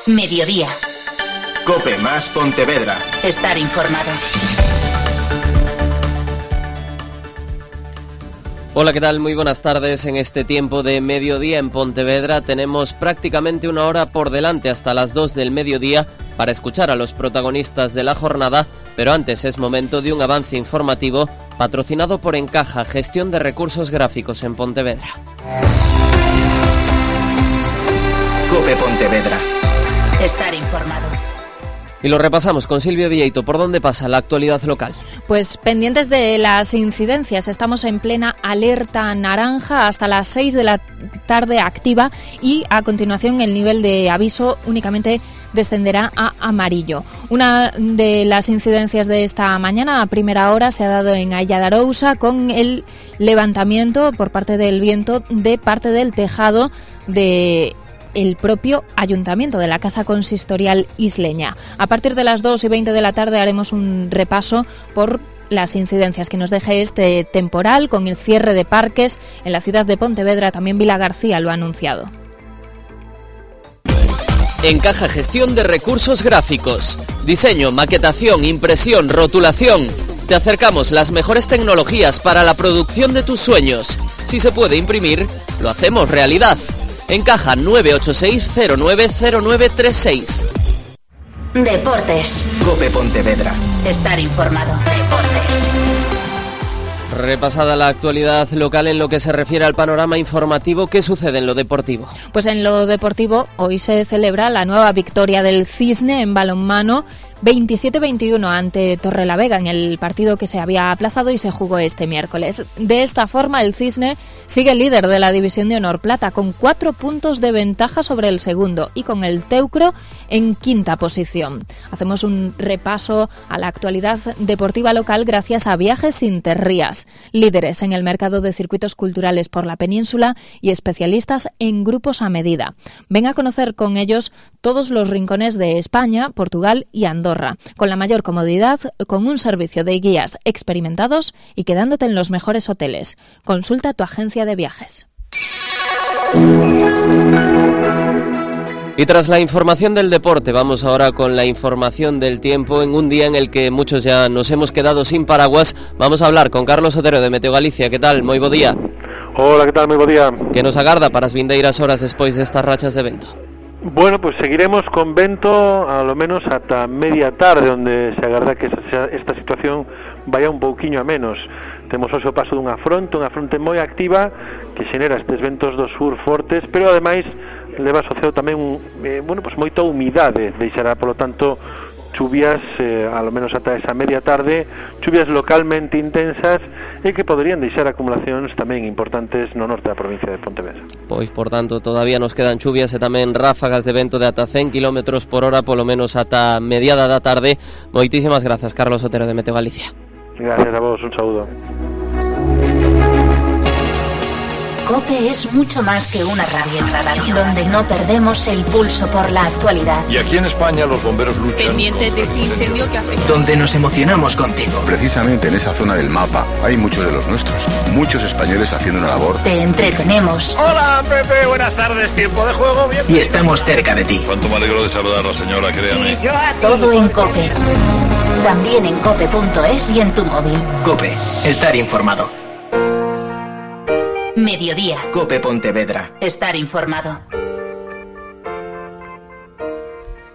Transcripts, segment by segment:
Mediodía. COPE más Pontevedra. Estar informado. Hola, ¿qué tal? Muy buenas tardes. En este tiempo de mediodía en Pontevedra tenemos prácticamente una hora por delante hasta las 2 del mediodía para escuchar a los protagonistas de la jornada, pero antes es momento de un avance informativo patrocinado por Encaja, gestión de recursos gráficos en Pontevedra. COPE Pontevedra. Estar informado. Y lo repasamos con Silvia Vieito. ¿Por dónde pasa la actualidad local? Pues pendientes de las incidencias. Estamos en plena alerta naranja hasta las 6 de la tarde activa y a continuación el nivel de aviso únicamente descenderá a amarillo. Una de las incidencias de esta mañana a primera hora se ha dado en Ailla de Arousa con el levantamiento por parte del viento de parte del tejado de el propio ayuntamiento de la Casa Consistorial isleña. A partir de las 2:20 de la tarde haremos un repaso por las incidencias que nos deje este temporal con el cierre de parques en la ciudad de Pontevedra. También Vilagarcía lo ha anunciado. Encaja, gestión de recursos gráficos. Diseño, maquetación, impresión, rotulación. Te acercamos las mejores tecnologías para la producción de tus sueños. Si se puede imprimir, lo hacemos realidad. Encaja 986-090936. Deportes. COPE Pontevedra. Estar informado. Deportes. Repasada la actualidad local en lo que se refiere al panorama informativo, ¿qué sucede en lo deportivo? Pues en lo deportivo hoy se celebra la nueva victoria del Cisne en balonmano 27-21 ante Torrelavega en el partido que se había aplazado y se jugó este miércoles. De esta forma el Cisne sigue líder de la División de Honor Plata con 4 puntos de ventaja sobre el segundo y con el Teucro en quinta posición. Hacemos un repaso a la actualidad deportiva local gracias a Viajes Interrías, líderes en el mercado de circuitos culturales por la península y especialistas en grupos a medida. Ven a conocer con ellos todos los rincones de España, Portugal y Andorra, con la mayor comodidad, con un servicio de guías experimentados y quedándote en los mejores hoteles. Consulta tu agencia de viajes. Y tras la información del deporte, vamos ahora con la información del tiempo. En un día en el que muchos ya nos hemos quedado sin paraguas, vamos a hablar con Carlos Otero de Meteo Galicia. ¿Qué tal? Moi bo día. Hola, ¿qué tal? Moi bo día. Que nos agarda para as vindeiras horas despois destas rachas de vento? Bueno, pues seguiremos con vento a lo menos hasta media tarde, donde se agarda que esta situación vaya un pouquiño a menos. Temos hoxe o paso dunha fronte moi activa que xenera estes ventos do sur fortes, pero ademais leva asociado tamén moita humidade, deixará polo tanto chuvias, a lo menos ata esa media tarde, chuvias localmente intensas e que poderían deixar acumulacións tamén importantes no norte da provincia de Pontevedra. Pois, por tanto, todavía nos quedan chuvias e tamén ráfagas de vento de ata 100 km por hora, polo menos ata mediada da tarde. Moitísimas grazas, Carlos Otero de Meteo Galicia. Gracias a vos, un saúdo. COPE es mucho más que una radio, donde no perdemos el pulso por la actualidad. Y aquí en España los bomberos luchan. Pendiente de este incendio que afecta. Donde nos emocionamos contigo. Precisamente en esa zona del mapa hay muchos de los nuestros. Muchos españoles haciendo una labor. Te entretenemos. Hola, Pepe, buenas tardes. Tiempo de juego, bien. Y estamos cerca de ti. Cuánto me alegro de saludar a la señora, créame. Todo en COPE. También en cope.es y en tu móvil. COPE. Estar informado. Mediodía. COPE Pontevedra. Estar informado.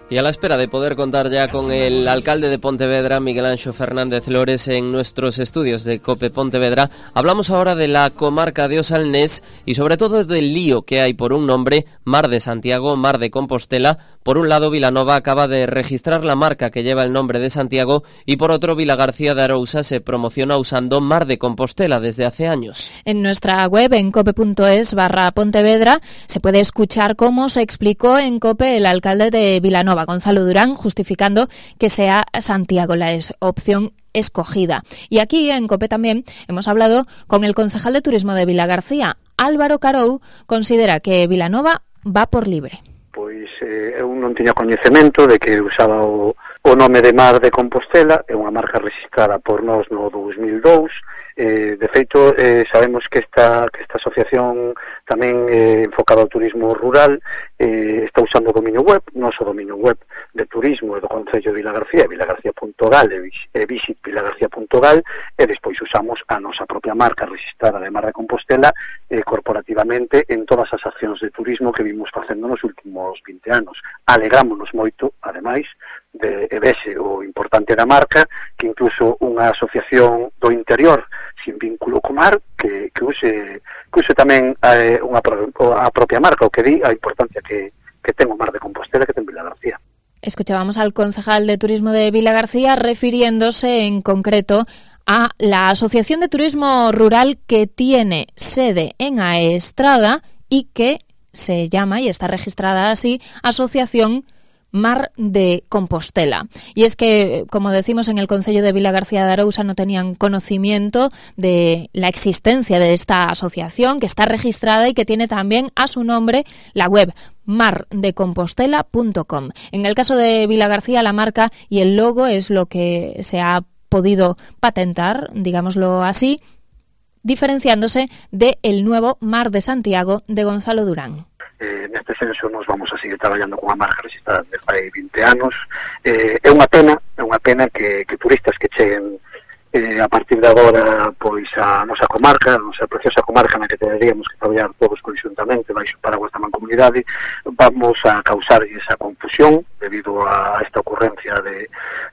Y a la espera de poder contar ya con el alcalde de Pontevedra, Miguel Anxo Fernández Lores, en nuestros estudios de COPE Pontevedra, hablamos ahora de la comarca de Osalnés y sobre todo del lío que hay por un nombre, Mar de Santiago, Mar de Compostela. Por un lado, Vilanova acaba de registrar la marca que lleva el nombre de Santiago y por otro, Vilagarcía de Arousa se promociona usando Mar de Compostela desde hace años. En nuestra web, en cope.es/Pontevedra, se puede escuchar cómo se explicó en COPE el alcalde de Vilanova, Gonzalo Durán, justificando que sea Santiago la opción escogida. Y aquí en COPE también hemos hablado con el concejal de turismo de Vilagarcía. Álvaro Carou considera que Vilanova va por libre. Pois eu non tiña coñecemento de que usaba o nome de Mar de Compostela, é unha marca registrada por nós no 2002, De feito, sabemos que esta asociación tamén enfocada ao turismo rural está usando o dominio web, noso dominio web de turismo do Concello de Vilagarcía, vilagarcía.gal e visitvilagarcía.gal, e despois usamos a nosa propia marca registrada de Mar de Compostela corporativamente en todas as accións de turismo que vimos facendo nos últimos 20 anos. Alegrámonos moito, ademais, de vese o importante da marca, que incluso unha asociación do interior sin vínculo co mar que use tamén a propia marca, o que di a importancia que ten o Mar de Compostela, que ten Vilagarcía. Escuchábamos al concejal de turismo de Vilagarcía refiriéndose en concreto a la Asociación de Turismo Rural que tiene sede en Aestrada y que se llama y está registrada así Asociación Mar de Compostela. Y es que, como decimos, en el Concello de Vilagarcía de Arousa no tenían conocimiento de la existencia de esta asociación, que está registrada y que tiene también a su nombre la web mardecompostela.com. En el caso de Vilagarcía, la marca y el logo es lo que se ha podido patentar, digámoslo así, diferenciándose del nuevo Mar de Santiago de Gonzalo Durán. Neste senso nos vamos a seguir traballando con a marca registrada de fai 20 anos. É unha pena que turistas que cheguen a partir de agora pois a nosa comarca, a nosa preciosa comarca na que teríamos que traballar todos conxuntamente baixo o paraguas da mancomunidade, vamos a causar esa confusión debido a esta ocurrencia de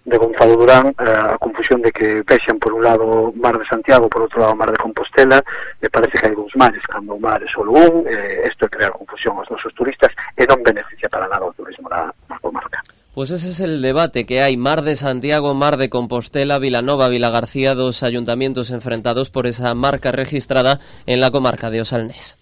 Gonzalo Durán, a confusión de que vexan por un lado Mar de Santiago, por outro lado Mar de Compostela. Me parece que hai dous mares cando o mar é solo un. Isto é crear confusión aos nosos turistas e non beneficia para nada o turismo da comarca. Pues ese es el debate que hay. Mar de Santiago, Mar de Compostela, Vilanova, Vilagarcía, dos ayuntamientos enfrentados por esa marca registrada en la comarca de Osalnés.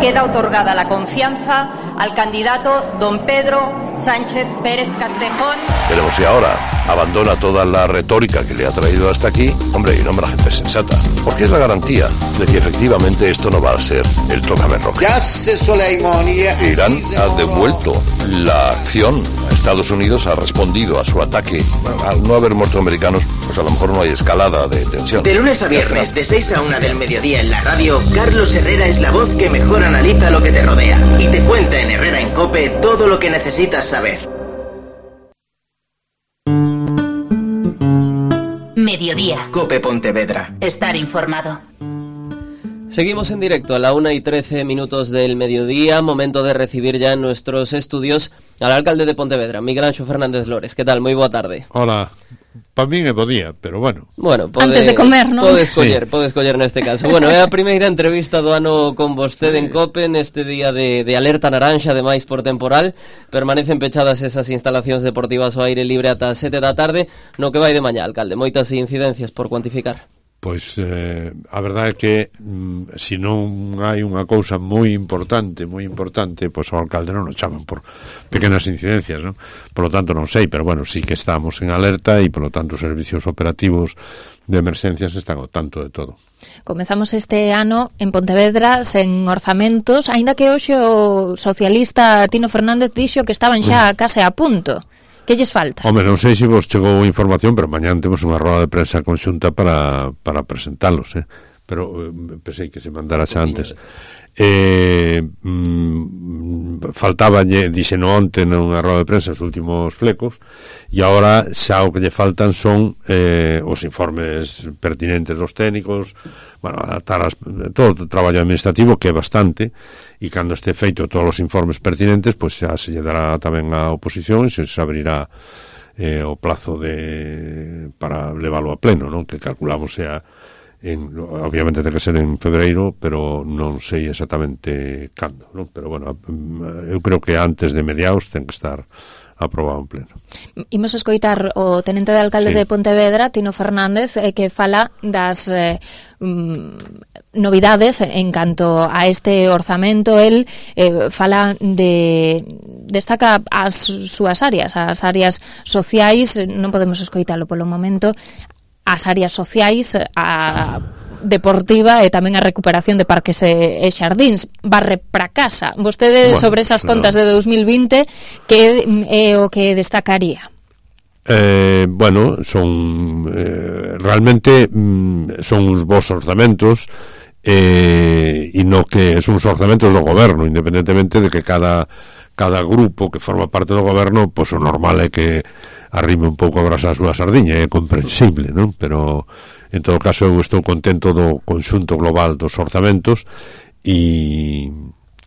Queda otorgada la confianza al candidato don Pedro Sánchez Pérez Castejón. Veremos si ahora abandona toda la retórica que le ha traído hasta aquí, hombre, y nombra gente sensata. Porque es la garantía de que efectivamente esto no va a ser el tócame roca. Irán ha devuelto la acción. Estados Unidos ha respondido a su ataque. Al no haber muertos americanos, pues a lo mejor no hay escalada de tensión. De lunes a viernes, de 6 a 1 del mediodía en la radio, Carlos Herrera es la voz que mejor analiza lo que te rodea y te cuenta en Herrera en COPE todo lo que necesitas saber. Mediodía. COPE Pontevedra. Estar informado. Seguimos en directo a la 1:13 del mediodía, momento de recibir ya en nuestros estudios al alcalde de Pontevedra, Miguel Anxo Fernández Lores. ¿Qué tal? Moi boa tarde. Hola. Para mí me podía, pero bueno. Bueno, antes de comer, ¿no? Podes coller neste caso. Bueno, é a primeira entrevista do ano con vostede en COPE neste día de alerta naranxa, ademais por temporal. Permanecen pechadas esas instalacións deportivas ao aire libre ata 7 da tarde, no que vai de mañá, alcalde. Moitas incidencias por cuantificar. Pois a verdade é que se non hai unha cousa moi importante, pois ao alcalde non o chaman por pequenas incidencias, non? Por lo tanto non sei, pero bueno, sí que estamos en alerta e por lo tanto os servicios operativos de emerxencias están ao tanto de todo. Comezamos este ano en Pontevedra sen orzamentos, aínda que hoxe o socialista Tino Fernández dixo que estaban xa case a punto. Que lles falta? Home, non sei se vos chegou información, pero mañán temos unha roda de prensa conxunta para presentalos, pero pensei que se mandara xa antes. Faltaba, dixeno onte nunha roda de prensa os últimos flecos, e agora xa o que lle faltan son os informes pertinentes dos técnicos, bueno, adaptar todo o traballo administrativo, que é bastante, e cando este feito todos os informes pertinentes, pois xa se lle dará tamén a oposición e se abrirá o plazo para leválo a pleno, non? Que calculamos sea obviamente ten que ser en febreiro, pero non sei exactamente cando, non? Pero bueno, eu creo que antes de mediados ten que estar aprobado en pleno. Imos escoitar o tenente de alcalde de Pontevedra, Tino Fernández, que fala das novidades en canto a este orzamento. El fala destaca as súas áreas, as áreas sociais, non podemos escoitalo polo momento, as áreas sociais, a deportiva e tamén a recuperación de parques e xardíns. Barre para casa. Vostede, bueno, sobre esas contas de 2020, que é o que destacaría? bueno, son realmente son uns bons orzamentos, e no que son uns orzamentos do goberno, independentemente de que cada grupo que forma parte do goberno, pois o normal é que arrime un pouco a brasa a súa sardiña, é comprensible, non? Pero en todo caso eu estou contento do conxunto global dos orzamentos e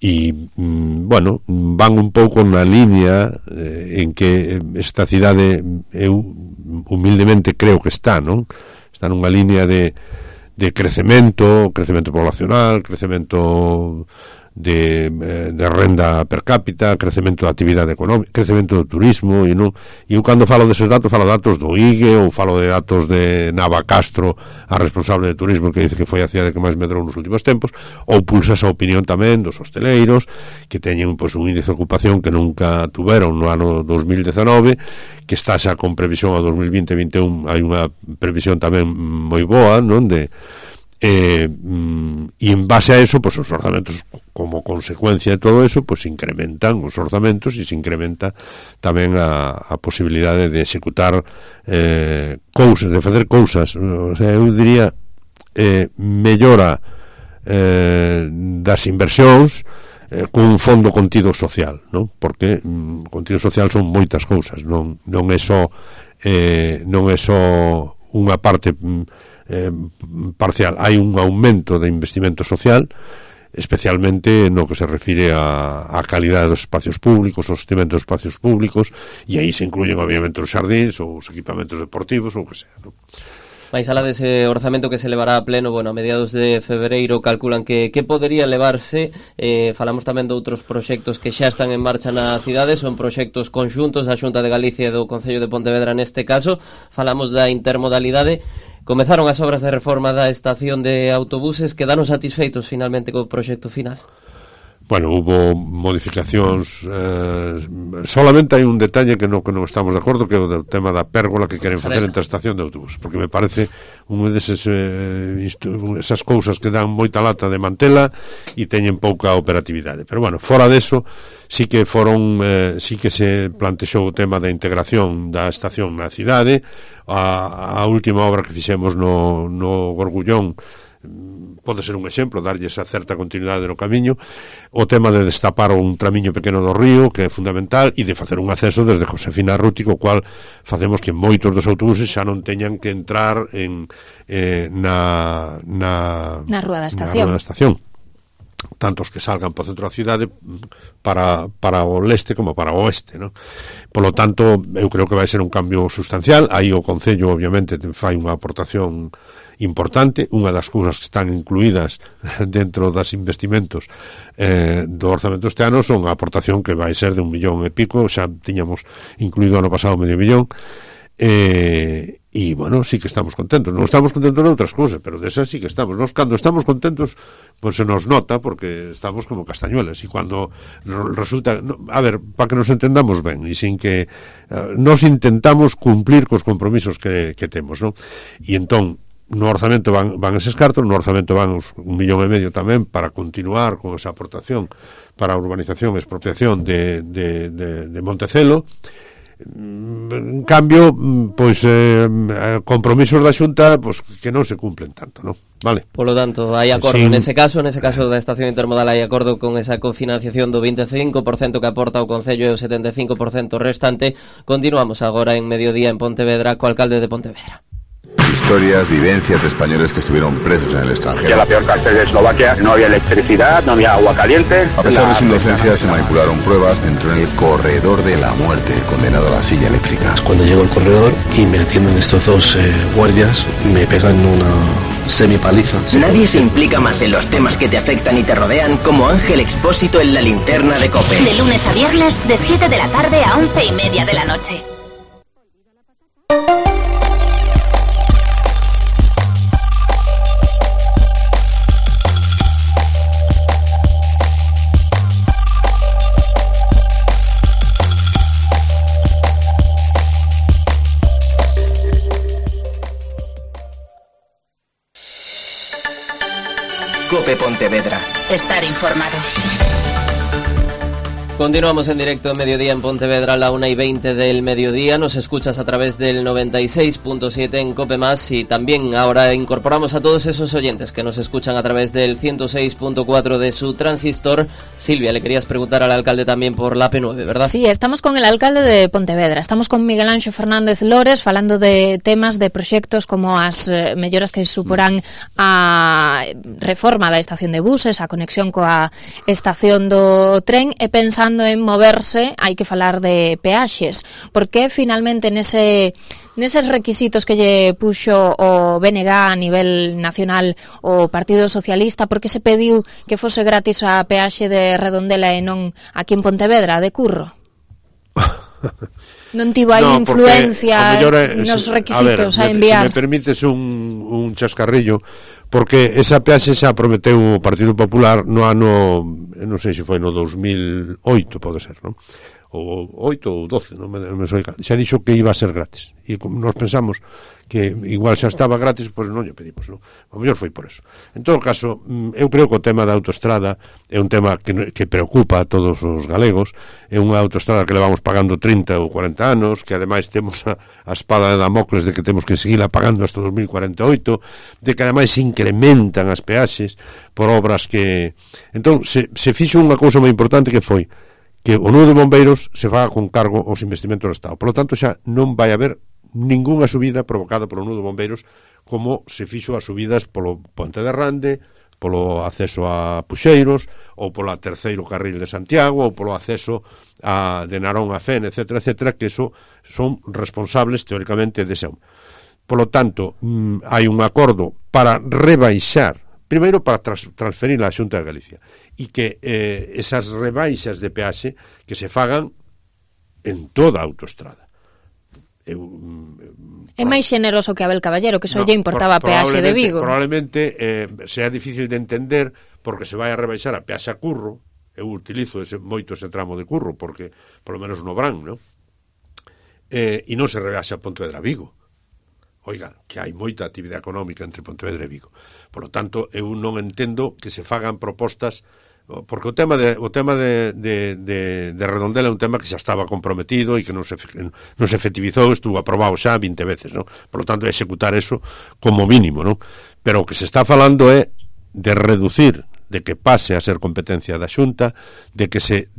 bueno, van un pouco na línea en que esta cidade eu humildemente creo que está, non? Está nunha línea de crecemento poblacional, crecemento de renda per cápita, crecemento da actividade económica, crecemento do turismo, e eu cando falo deses datos, falo datos do IGE ou falo de datos de Nava Castro, a responsable de turismo, que dice que foi a cidade que máis medrou nos últimos tempos, ou pulsa esa opinión tamén dos hosteleiros, que teñen pois un índice de ocupación que nunca tuveron no ano 2019, que está xa con previsión a 2020-2021, hai unha previsión tamén moi boa, non? E en base a eso, pues os orzamentos, como consecuencia de todo eso, pues incrementan os orzamentos e se incrementa tamén a posibilidade de executar cousas, de facer cousas, o sea, eu diría mellora das inversións con un fondo contido social, non? Porque contido social son moitas cousas, non é só unha parte parcial, hai un aumento de investimento social, especialmente no que se refire a calidade dos espacios públicos, o sostenimento dos espacios públicos, e aí se incluyen obviamente os xardíns ou os equipamentos deportivos ou o que sea, non? Mais alá dese orzamento que se levará a pleno, bueno, a mediados de febreiro, calculan que podería levarse. Falamos tamén de outros proxectos que xa están en marcha na cidade, son proxectos conxuntos da Xunta de Galicia e do Concello de Pontevedra neste caso. Falamos da intermodalidade. Comezaron as obras de reforma da estación de autobuses. Quedaron satisfeitos finalmente co proxecto final? Bueno, hubo modificacións, solamente hai un detalle que non estamos de acordo, que é o tema da pérgola que queren facer entre a estación de autobús, porque me parece unha desas esas cousas que dan moita lata de mantela e teñen pouca operatividade. Pero bueno, fora deso, sí que se plantexou o tema da integración da estación na cidade. A última obra que fixemos no Gorgullón pode ser un exemplo, darlle esa certa continuidade no camiño, o tema de destapar un tramiño pequeno do río, que é fundamental, e de facer un acceso desde Josefina Arruti, co cual facemos que moitos dos autobuses xa non teñan que entrar na rúa da estación, tantos que salgan para o centro da cidade para o leste como para o oeste, ¿no? Polo tanto, eu creo que vai ser un cambio sustancial. Aí o Concello obviamente fai unha aportación importante. Unha das cousas que están incluídas dentro das investimentos do orzamento este ano son a aportación que vai ser de 1,5 millón, xa tiñamos incluído ano pasado 500 000, e bueno, sí que estamos contentos. Non estamos contentos de outras cousas, pero desas sí que estamos. Nos cando estamos contentos, pues se nos nota, porque estamos como castañuelas, e cando resulta, a ver, para que nos entendamos ben, e sin que nos intentamos cumplir cos compromisos que temos, non? E entón, no orzamento van eses cartos, no orzamento van uns 1,5 millón tamén para continuar con esa aportación para a urbanización e expropiación de Montecelo. En cambio, pois compromisos da Xunta pois que non se cumplen tanto, non? Vale. Polo tanto, hai acordo nese caso da estación intermodal, hai acordo con esa cofinanciación do 25% que aporta o Concello e o 75% restante. Continuamos agora en Mediodía en Pontevedra co alcalde de Pontevedra. Historias, vivencias de españoles que estuvieron presos en el extranjero. Que la peor cárcel de Eslovaquia no había electricidad, no había agua caliente. A pesar de su inocencia, se manipularon pruebas, entró en el corredor de la muerte, condenado a la silla eléctrica. Cuando llego al corredor y me atienden estos dos guardias, me pegan una semipaliza. Nadie se implica más en los temas que te afectan y te rodean como Ángel Expósito en La Linterna de COPE. De lunes a viernes, de 7 de la tarde a 11:30 de la noche. COPE Pontevedra. Estar informado. Continuamos en directo en Mediodía en Pontevedra a la 1:20 del mediodía. Nos escuchas a través del 96.7 en COPE+, y también ahora incorporamos a todos esos oyentes que nos escuchan a través del 106.4 de su transistor. Silvia, le querías preguntar al alcalde también por la P9, ¿verdad? Sí, estamos con el alcalde de Pontevedra. Estamos con Miguel Anxo Fernández Lores falando de temas, de proxectos como as melloras que suporán a reforma da estación de buses, a conexión coa estación do tren, e pensando en moverse, hai que falar de peaxes. Por que finalmente neses requisitos que lle puxo o BNG a nivel nacional o Partido Socialista, por que se pediu que fose gratis a peaxe de Redondela e non aquí en Pontevedra, de Curro? Non tivo aí influencia nos requisitos a enviar. Se me permites un chascarrillo, porque esa peaxe xa prometeu o Partido Popular no ano, non sei se foi no 2008, pode ser, non? Ou 8 ou 12, non me sei, xa dixo que iba a ser gratis, e nos pensamos que igual xa estaba gratis, pois non lle pedimos, non? O mellor foi por eso. En todo caso, eu creo que o tema da autoestrada é un tema que preocupa a todos os galegos. É unha autoestrada que levamos pagando 30 ou 40 anos, que ademais temos a espada de Damocles de que temos que seguirla pagando hasta 2048, de que ademais se incrementan as peaxes por obras que... Entón, se fixo unha cousa moi importante que foi que o nudo de bombeiros se faga con cargo aos investimentos do Estado. Por lo tanto, xa non vai haber ningunha subida provocada polo nudo de bombeiros, como se fixo as subidas polo Ponte de Rande, polo acceso a Puxeiros, ou polo terceiro carril de Santiago, ou polo acceso de Narón a Fen, etcétera, etcétera, que eso son responsables, teóricamente, dese. Por lo tanto, hai un acordo para rebaixar, primeiro para transferir a Xunta de Galicia, e que esas rebaixas de peaxe que se fagan en toda a autoestrada. É máis xeneroso que Abel Caballero, que só lle importaba a peaxe de Vigo. Probablemente sea difícil de entender porque se vai a rebaixar a peaxe a Curro. Eu utilizo moito ese tramo de Curro, porque, por lo menos no Brán, non? E non se rebaixa a Pontevedra a Vigo. Oiga, que hai moita actividade económica entre Pontevedra e Vigo. Por lo tanto, eu non entendo que se fagan propostas, porque o tema de Redondela é un tema que xa estaba comprometido e que non se efectivizou, estuvo aprobado xa 20 veces, non? Por lo tanto, é executar eso como mínimo, non? Pero o que se está falando é de reducir, de que pase a ser competencia da Xunta, de que se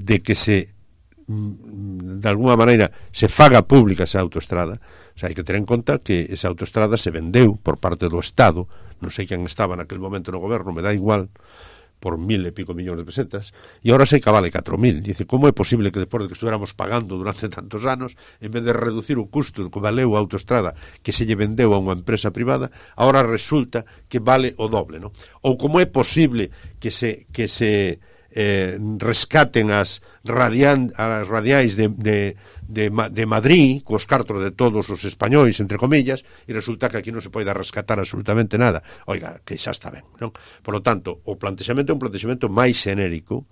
de alguna maneira se faga pública esa autoestrada. O sea, hai que ter en conta que esa autoestrada se vendeu por parte do Estado, non sei quen estaba naquele momento no goberno, me dá igual, por 1.000 e pico millóns de pesetas, e ahora sei que vale 4.000. Dice, como é posible que despois de que estuéramos pagando durante tantos anos, en vez de reducir o custo que valeu a autoestrada que se lle vendeu a unha empresa privada, ahora resulta que vale o doble, non? Ou como é posible que se rescaten as radiais de Madrid cos cartos de todos os españois, entre comillas, e resulta que aquí non se pode rescatar absolutamente nada. Oiga, que xa está ben, non? Por lo tanto, o plantexamento é un plantexamento máis xenérico,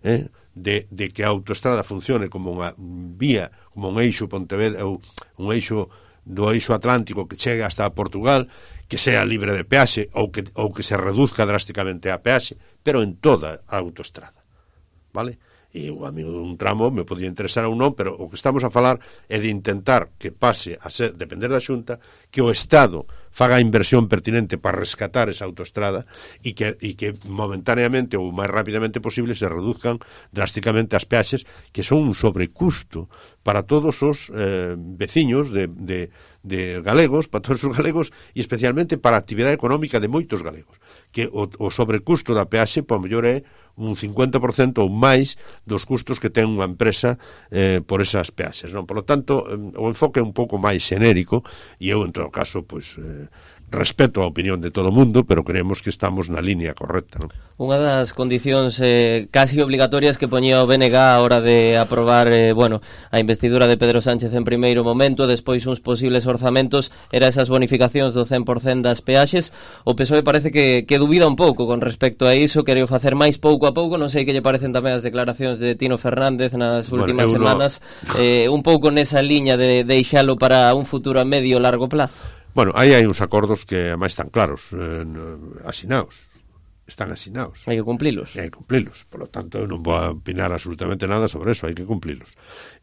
de que a autoestrada funcione como unha vía, como un eixo Pontevedra, ou un eixo do eixo atlántico que chegue hasta Portugal, que sea libre de peaxe ou que se reduzca drásticamente a peaxe, pero en toda a autoestrada, vale? E o amigo dun tramo me podría interesar ou non, pero o que estamos a falar é de intentar que pase a ser, depender da Xunta, que o Estado faga a inversión pertinente para rescatar esa autoestrada e que momentaneamente ou máis rapidamente posible se reduzcan drásticamente as peaxes, que son un sobrecusto para todos os veciños de galegos, para todos os galegos, e especialmente para a actividade económica de moitos galegos, que o sobrecusto da peaxe, por mellor, é un 50% ou máis dos custos que ten unha empresa por esas peaxes, non? Por lo tanto, o enfoque é un pouco máis xenérico, e eu, en todo caso, pois, respeto a opinión de todo o mundo, pero creemos que estamos na línea correcta, non? Unha das condicións casi obligatorias que poñía o BNG a hora de aprobar a investidura de Pedro Sánchez en primeiro momento, despois uns posibles orzamentos, era esas bonificacións do 100% das peaxes. O PSOE parece que dubida un pouco con respecto a iso, quereu facer máis pouco a pouco. Non sei que lle parecen tamén as declaracións de Tino Fernández nas últimas semanas, un pouco nesa liña de deixalo para un futuro a medio e largo plazo. Bueno, aí hai uns acordos que máis están claros, asinados. están asinados. Hai que cumplilos. Hai que cumplilos. Por lo tanto, non vou a opinar absolutamente nada sobre eso, hai que cumplilos.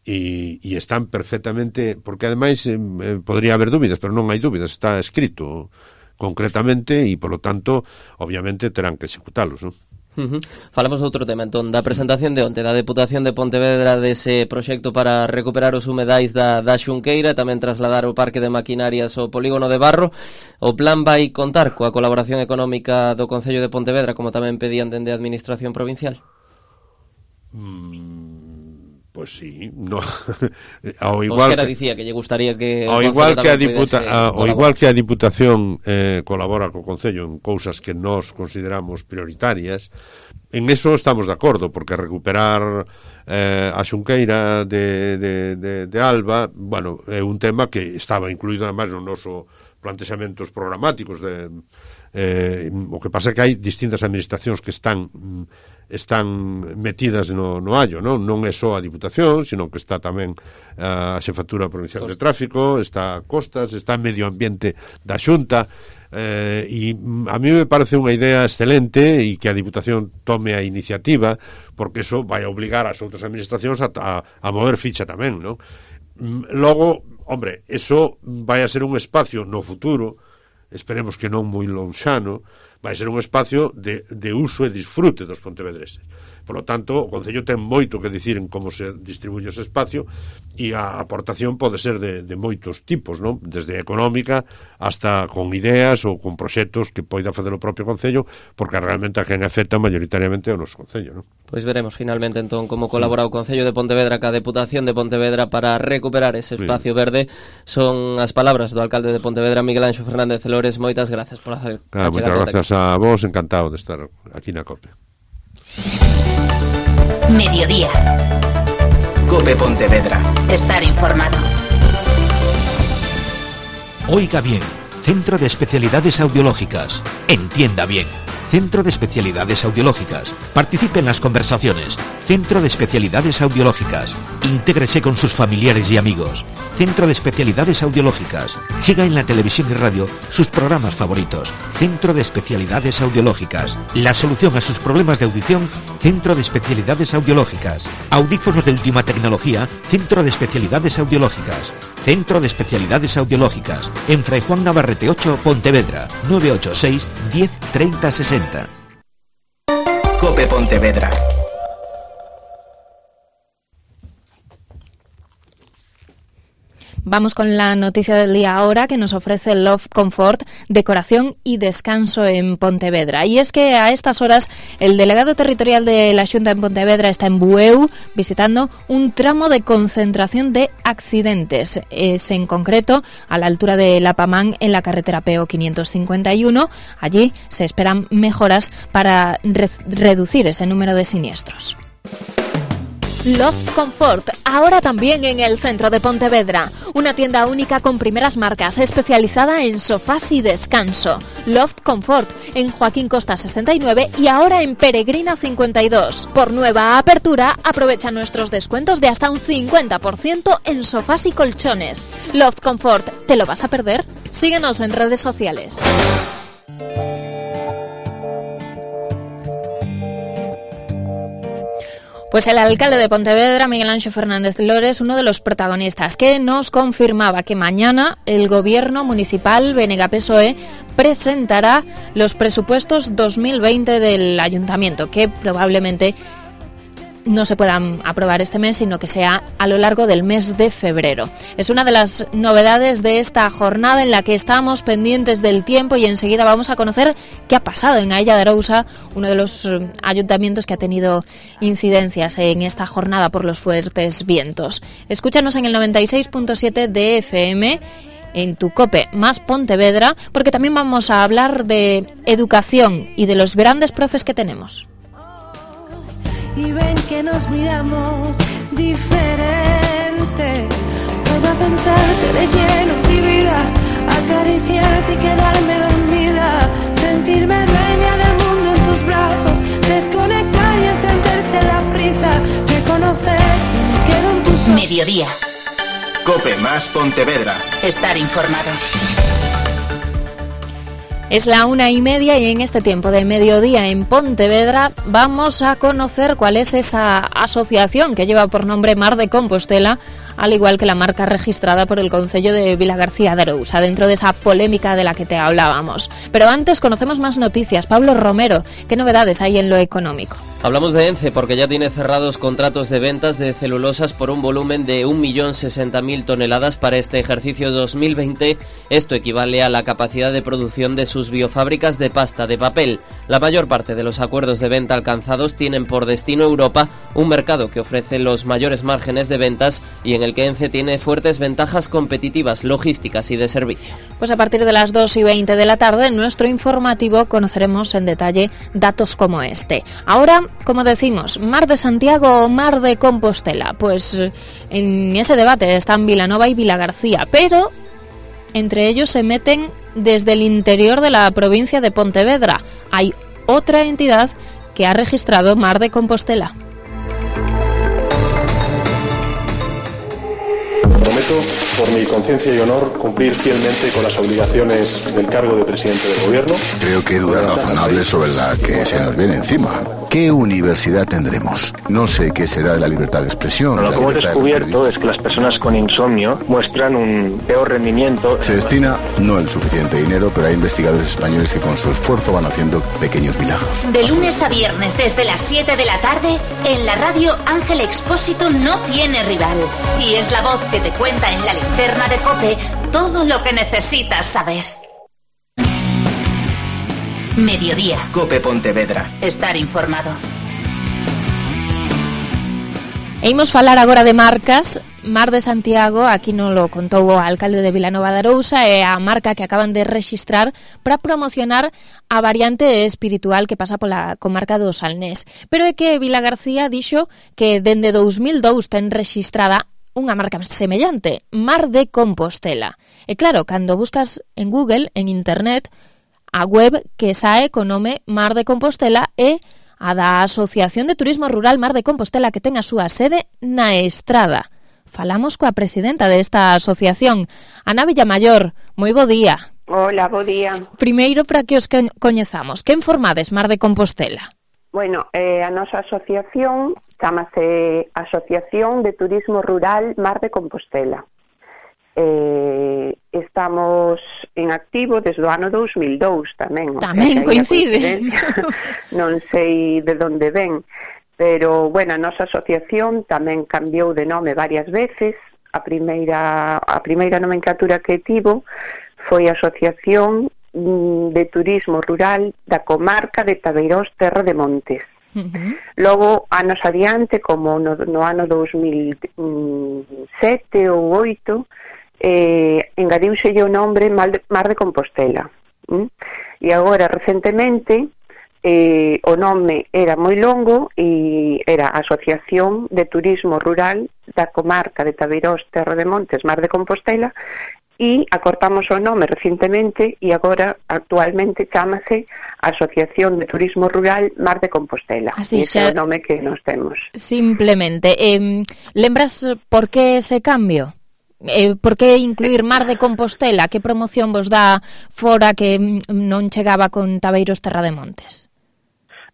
E están perfectamente, porque ademais podría haber dúbidas, pero non hai dúbidas, está escrito concretamente e, por lo tanto, obviamente terán que executalos, non? Falamos de outro tema, entón, da presentación de onte da Deputación de Pontevedra dese proxecto para recuperar os humedais da Xunqueira, tamén trasladar o parque de maquinarias ao polígono de Barro. O plan vai contar coa colaboración económica do Concello de Pontevedra, como tamén pedían dende a Administración Provincial? Pois sí, no. Ao igual Osquera dicía que lle gustaría que ao igual que a Diputación colabora co Concello en cousas que nós consideramos prioritarias, en eso estamos de acordo, porque recuperar a Xunqueira de Alba, bueno, é un tema que estaba incluído además no noso plantexamentos programáticos o que pasa é que hai distintas administracións que están metidas no hallo, non é só a Diputación, sino que está tamén a Xefatura Provincial de Tráfico, está Costas, está Medio Ambiente da Xunta, e a mí me parece unha idea excelente e que a Diputación tome a iniciativa, porque eso vai obligar as outras administracións a mover ficha tamén, non? Logo, hombre, eso vai a ser un espacio no futuro, esperemos que non moi lonxano, vai ser un espacio de uso e disfrute dos pontevedreses. Por lo tanto, o Concello ten moito que dicir en como se distribuye ese espacio, e a aportación pode ser de moitos tipos, non? Desde económica hasta con ideas ou con proxectos que poida facer o propio Concello, porque realmente a quen afecta mayoritariamente o noso Concello, non? Pois veremos finalmente entón como colabora o Concello de Pontevedra ca Deputación de Pontevedra para recuperar ese espacio verde. Son as palabras do alcalde de Pontevedra, Miguel Anxo Fernández Lores. Moitas gracias por hacer. Moitas gracias a vos, encantado de estar aquí na COPE. Mediodía. COPE Pontevedra. Estar informado. Oiga bien, Centro de Especialidades Audiológicas. Entienda bien. Centro de Especialidades Audiológicas. Participe en las conversaciones. Centro de Especialidades Audiológicas. Intégrese con sus familiares y amigos. Centro de Especialidades Audiológicas. Siga en la televisión y radio sus programas favoritos. Centro de Especialidades Audiológicas. La solución a sus problemas de audición. Centro de Especialidades Audiológicas. Audífonos de última tecnología. Centro de Especialidades Audiológicas. Centro de Especialidades Audiológicas. En Fray Juan Navarrete 8, Pontevedra. 986 10 30 60. COPE Pontevedra. Vamos con la noticia del día ahora que nos ofrece Loft Comfort, decoración y descanso en Pontevedra. Y es que a estas horas el delegado territorial de la Xunta en Pontevedra está en Bueu visitando un tramo de concentración de accidentes. Es en concreto a la altura de Lapamán en la carretera PO 551. Allí se esperan mejoras para reducir ese número de siniestros. Loft Comfort, ahora también en el centro de Pontevedra. Una tienda única con primeras marcas, especializada en sofás y descanso. Loft Comfort, en Joaquín Costa 69 y ahora en Peregrina 52. Por nueva apertura, aprovecha nuestros descuentos de hasta un 50% en sofás y colchones. Loft Comfort, ¿te lo vas a perder? Síguenos en redes sociales. Pues el alcalde de Pontevedra, Miguel Anxo Fernández Lores, uno de los protagonistas, que nos confirmaba que mañana el gobierno municipal BNG-PSOE presentará los presupuestos 2020 del ayuntamiento, que probablemente no se puedan aprobar este mes, sino que sea a lo largo del mes de febrero. Es una de las novedades de esta jornada en la que estamos pendientes del tiempo y enseguida vamos a conocer qué ha pasado en Ailla de Arousa, uno de los ayuntamientos que ha tenido incidencias en esta jornada por los fuertes vientos. Escúchanos en el 96.7 de FM, en tu COPE más Pontevedra, porque también vamos a hablar de educación y de los grandes profes que tenemos. Y ven que nos miramos diferente. Puedo adentrarte de lleno en mi vida, acariciarte y quedarme dormida, sentirme dueña del mundo en tus brazos, desconectar y encenderte la prisa, reconocer que me quedo en tus ojos. Mediodía. COPE más Pontevedra. Estar informado. Es la 1:30 y en este tiempo de mediodía en Pontevedra vamos a conocer cuál es esa asociación que lleva por nombre Mar de Compostela, al igual que la marca registrada por el Concello de Vilagarcía de Arousa, dentro de esa polémica de la que te hablábamos. Pero antes conocemos más noticias. Pablo Romero, ¿qué novedades hay en lo económico? Hablamos de ENCE porque ya tiene cerrados contratos de ventas de celulosas por un volumen de 1.060.000 toneladas para este ejercicio 2020. Esto equivale a la capacidad de producción de sus biofábricas de pasta de papel. La mayor parte de los acuerdos de venta alcanzados tienen por destino Europa, un mercado que ofrece los mayores márgenes de ventas y en el que ENCE tiene fuertes ventajas competitivas, logísticas y de servicio. Pues a partir de las 2:20 de la tarde, en nuestro informativo conoceremos en detalle datos como este. Ahora, como decimos, ¿Mar de Santiago o Mar de Compostela? Pues en ese debate están Vilanova y Vilagarcía, pero entre ellos se meten desde el interior de la provincia de Pontevedra. Hay otra entidad que ha registrado Mar de Compostela. Prometo, por mi conciencia y honor, cumplir fielmente con las obligaciones del cargo de presidente del gobierno. Creo que hay dudas razonables sobre la que se nos viene encima. ¿Qué universidad tendremos? No sé qué será de la libertad de expresión. Lo que hemos descubierto es que las personas con insomnio muestran un peor rendimiento. Se destina no el suficiente dinero, pero hay investigadores españoles que con su esfuerzo van haciendo pequeños milagros. De lunes a viernes desde las 7 de la tarde, en la radio Ángel Expósito no tiene rival. Y es la voz que te cuenta en la linterna de COPE todo lo que necesitas saber. Mediodía. COPE Pontevedra. Estar informado. E imos falar agora de marcas. Mar de Santiago, aquí non lo contou o alcalde de Vilanova de Arousa, é a marca que acaban de rexistrar para promocionar a variante espiritual que pasa pola comarca do Salnés. Pero é que Vilagarcía dixo que dende 2002 ten rexistrada unha marca semellante, Mar de Compostela. E claro, cando buscas en Google, en internet, a web que sae co nome Mar de Compostela é a da Asociación de Turismo Rural Mar de Compostela, que ten a súa sede na Estrada. Falamos coa presidenta desta asociación, Ana Villamayor. Moi bo día. Hola, bo día. Primeiro, para que os coñezamos, quen formades Mar de Compostela? Bueno, a nosa asociación chamase Asociación de Turismo Rural Mar de Compostela. Estamos en activo desde o ano 2002 tamén. Tamén coincide. Non sei de onde ven, pero, bueno, a nosa asociación tamén cambiou de nome varias veces. A primeira nomenclatura que tivo foi Asociación de Turismo Rural da Comarca de Tabeirós Terra de Montes. Logo, anos adiante, como no ano 2007 ou 2008, engadiuse o nombre Mar de Compostela. E agora, recentemente, o nome era moi longo e era Asociación de Turismo Rural da Comarca de Tabeirós Terra de Montes Mar de Compostela, e acortamos o nome recentemente e agora actualmente chámase Asociación de Turismo Rural Mar de Compostela. Así ese é o nome que nos temos. Simplemente, lembras por que ese cambio? Por que incluir Mar de Compostela? Que promoción vos dá fora que non chegaba con Tabeiros Terra de Montes?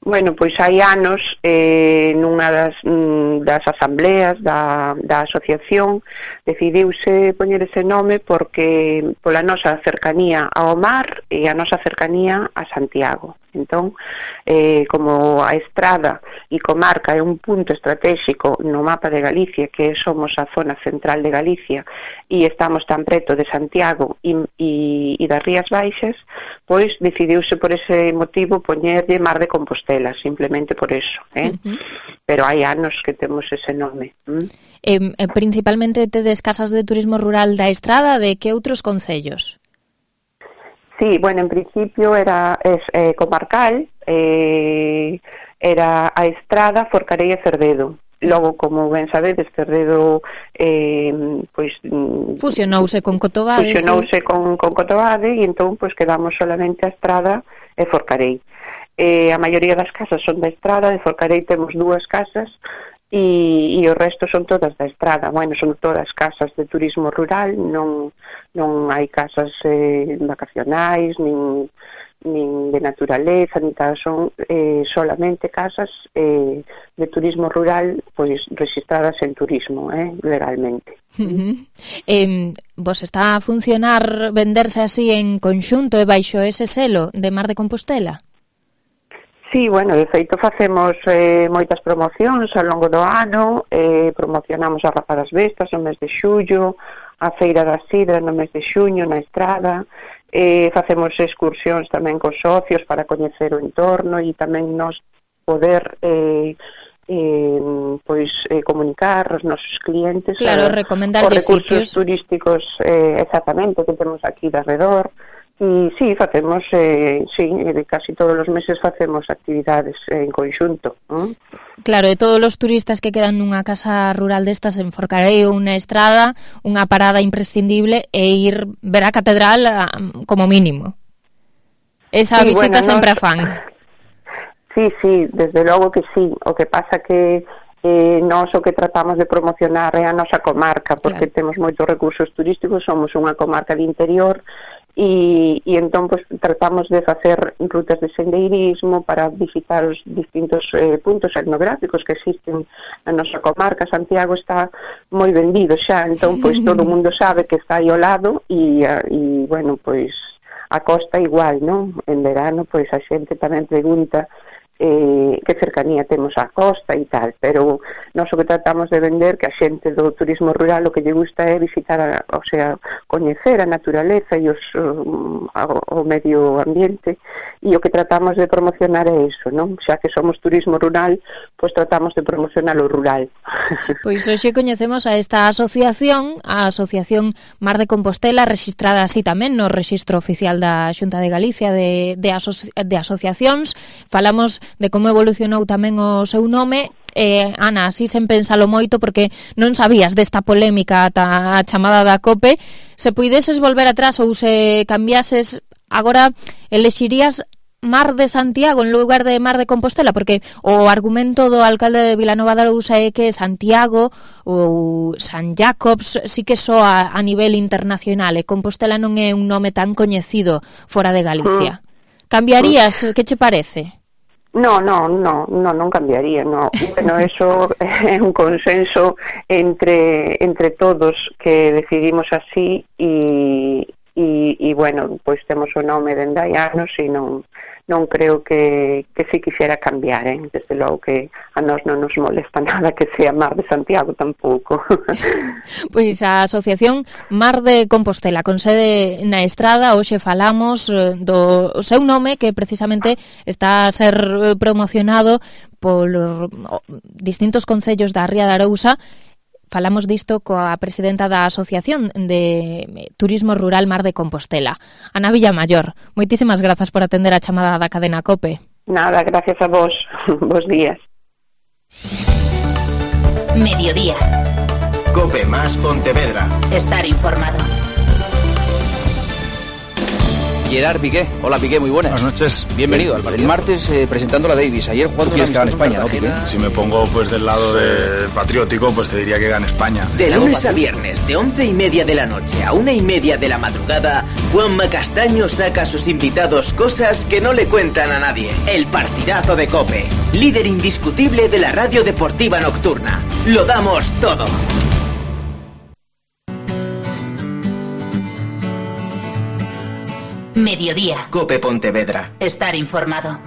Bueno, pois hai anos nunha das asambleas da asociación decidiuse poñer ese nome porque pola nosa cercanía ao mar e a nosa cercanía a Santiago. Entón, como a Estrada e comarca é un punto estratégico no mapa de Galicia, que somos a zona central de Galicia e estamos tan preto de Santiago e das Rías Baixas, pois decidiuse por ese motivo poñerlle Mar de Compostela, simplemente por eso, Pero hai anos que temos ese nome. Principalmente tedes casas de turismo rural da Estrada, de que outros concellos? Sí, bueno, en principio era comarcal, era a Estrada, Forcarei e Cerdedo. Logo, como ben sabedes, Cerdedo fusionouse con Cotobade. Fusionouse con Cotobade e entón quedamos solamente a Estrada e Forcarei. A maioría das casas son da Estrada, de Forcarei temos 2 casas e o resto son todas da estrada. Bueno, son todas casas de turismo rural, non hai casas vacacionais, nin de naturaleza, nin tal, son solamente casas de turismo rural, pois registradas en turismo, legalmente. Vos está a funcionar venderse así en conxunto e baixo ese selo de Mar de Compostela? Sí, bueno, de feito facemos moitas promocións ao longo do ano, promocionamos a Rapa das Bestas no mes de xullo, a Feira da Sidra no mes de xuño na estrada, facemos excursións tamén cos socios para coñecer o entorno e tamén nos poder comunicar aos nosos clientes os recursos turísticos exactamente que temos aquí de alrededor. E sí, facemos, casi todos os meses facemos actividades en conxunto. Claro, e todos os turistas que quedan nunha casa rural destas en Forcareo, unha estrada, unha parada imprescindible e ir ver a catedral como mínimo. Esa visita sempre a fan. Sí, desde logo que sí. O que pasa que nós o que tratamos de promocionar é a nosa comarca, porque temos moitos recursos turísticos, somos unha comarca de interior, e entón pues, tratamos de facer rutas de sendeirismo para visitar os distintos puntos etnográficos que existen na nosa comarca. Santiago está moi vendido xa, entón pues, todo o mundo sabe que está aí ao lado e bueno, pois a costa igual, non? En verano, pois a xente tamén pregunta que cercanía temos á costa e tal, pero nós o que tratamos de vender que a xente do turismo rural o que lle gusta é visitar, o sea, coñecer a naturaleza e o medio ambiente, e o que tratamos de promocionar é iso, non? Xa que somos turismo rural, pois tratamos de promocionar o rural. Pois hoxe coñecemos a esta asociación, a Asociación Mar de Compostela, rexistrada así tamén no Rexistro Oficial da Xunta de Galicia de asociacións. Falamos de como evolucionou tamén o seu nome. Ana, así sen pensalo moito, porque non sabías desta polémica ata a chamada da COPE. Se puideses volver atrás ou se cambiases, agora elexirías Mar de Santiago en lugar de Mar de Compostela, porque o argumento do alcalde de Vilanova de Arousa é que Santiago ou San Jacobs sí que soa a nivel internacional e Compostela non é un nome tan coñecido fora de Galicia. Cambiarías? Que che parece? Non cambiaría, no. Bueno, eso é un consenso entre todos que decidimos así e bueno, pois temos o nome dende hai anos e non creo que si quixera cambiar, desde logo que a nós non nos molesta nada que sea Mar de Santiago tampouco. Pois a Asociación Mar de Compostela, con sede na Estrada, hoxe falamos do seu nome, que precisamente está a ser promocionado por distintos concellos da Ría de Arousa. Falamos disto coa presidenta da Asociación de Turismo Rural Mar de Compostela, Ana Villamayor. Moitísimas grazas por atender a chamada da cadena COPE. Nada, gracias a vos. Bos días. Mediodía. COPE más Pontevedra. Estar informado. Gerard Piqué. Hola Piqué, muy buenas. Buenas noches. Bienvenido al partido. El martes presentando la Davis, ayer jugando una amistosa en España, ¿no, Piqué? Si me pongo pues del lado de patriótico, pues te diría que gane España. De lunes a viernes, de 11:30 de la noche a 1:30 de la madrugada, Juanma Castaño saca a sus invitados cosas que no le cuentan a nadie. El partidazo de COPE, líder indiscutible de la radio deportiva nocturna. Lo damos todo. Mediodía. COPE Pontevedra. Estar informado.